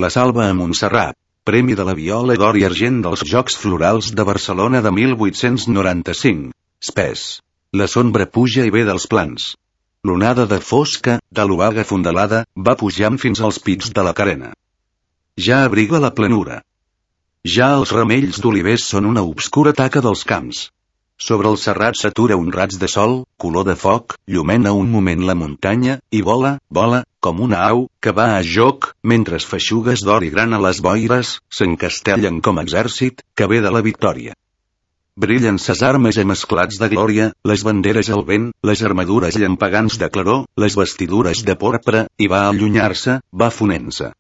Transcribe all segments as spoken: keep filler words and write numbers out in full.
La Salva a Montserrat, Premi de la Viola d'Or i Argent dels Jocs Florals de Barcelona de mil vuit-cents noranta-cinc. Spes. La sombra puja i ve dels plans. L'onada de fosca, de l'obaga fondalada, va pujant fins als pits de la carena. Ja abriga la planura. Ja els ramells d'olivers són una obscura taca dels camps. Sobre el serrat s'atura un raig de sol, color de foc, llumena un moment la muntanya, i vola, vola, com una au, que va a joc, mentre feixugues d'or i grana les boires, s'encastellen com exèrcit, que ve de la victòria. Brillen ses armes emesclats de glòria, les banderes al vent, les armadures llampegants de claror, les vestidures de porpra, i va allunyar-se, va fonent-se.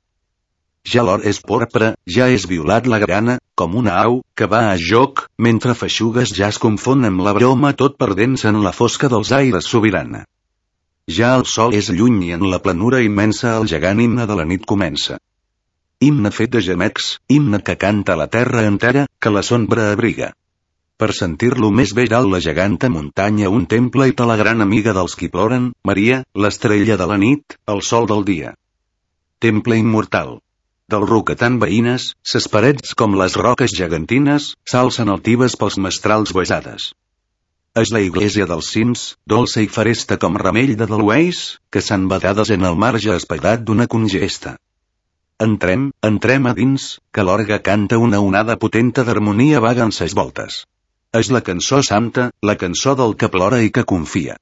Ja l'or és porpra, ja és violat la grana, com una au, que va a joc, mentre feixugues ja es confon amb la broma tot perdent-se en la fosca dels aires sobirana. Ja el sol és lluny i en la planura immensa el gegant himne de la nit comença. Himne fet de gemecs, himne que canta la terra entera, que la sombra abriga. Per sentir-lo més bé dalt la geganta muntanya un temple i te la gran amiga dels qui ploren, Maria, l'estrella de la nit, el sol del dia. Temple immortal. Del roquetant veïnes, ses parets com les roques gegantines, s'alcen altives pels mestrals besades. És la iglesia dels cims, dolça i faresta com ramell de delueix, que s'han badades en el marge espaidat d'una congesta. Entrem, entrem a dins, que l'orgue canta una onada potenta d'harmonia vaga en ses voltes. És la cançó santa, la cançó del que plora i que confia.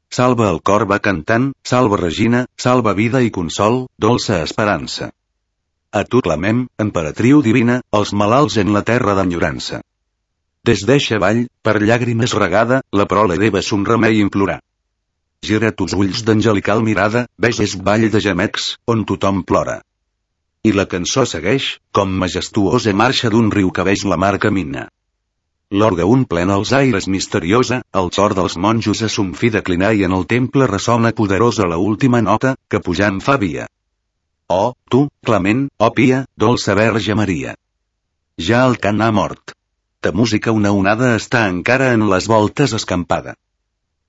Salva el cor va cantant, salva Regina, salva vida i consol, dolça esperança. A tu clamem, emperatriu divina, els malalts en la terra d'enyorança. Des d'eixa vall, per llàgrimes regada, la prole d'Eva son remei implorar. Gira tus ulls d'angelical mirada, ves és vall de gemecs, on tothom plora. I la cançó segueix, com majestuosa marxa d'un riu que veix la mar camina. L'orgue un plena els aires misteriosa, el cor dels monjos a son fi declinar i en el temple ressona poderosa la última nota, que pujant fa via. Oh, tu, clement, oh pia, dolça Verge Maria. Ja el cant ha mort. Ta música una onada està encara en les voltes escampada.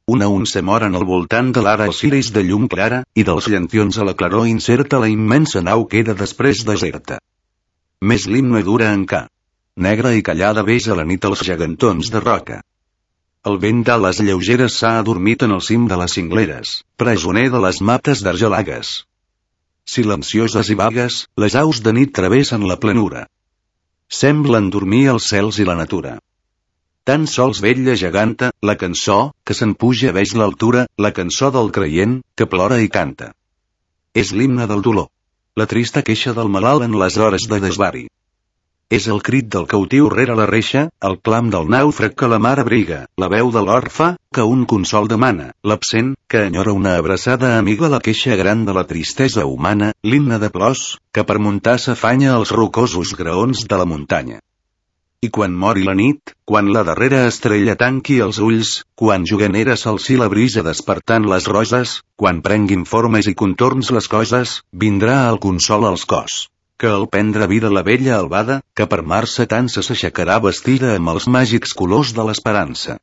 Una unça mor en el voltant de l'ara els ciris de llum clara, i dels llantions a la claror incerta la immensa nau queda després deserta. Més l'himne dura encara. Negra i callada ves a la nit els gegantons de roca. El vent d'ales lleugeres s'ha adormit en el cim de les cingleres, presoner de les mates d'argelagues. Silencioses i vagues, les aus de nit travessen la planura. Semblen dormir els cels i la natura. Tan sols vella geganta, la cançó, que se'n puja veix l'altura, la cançó del creient, que plora i canta. És l'himne del dolor. La trista queixa del malalt en les hores de desvari. És el crit del cautiu rere la reixa, el clam del nàufrag que la mar abriga, la veu de l'orfe, que un consol demana, l'absent, que enyora una abraçada amiga, la queixa gran de la tristesa humana, l'himne de plors, que per muntar s'afanya als rocosos graons de la muntanya. I quan mori la nit, quan la darrera estrella tanqui els ulls, quan juganera s'alci la brisa despertant les roses, quan prenguin formes i contorns les coses, vindrà el consol als cors. Que al prendre vida la vella albada, que per mar-se tant s'aixecarà vestida amb els màgics colors de l'esperança.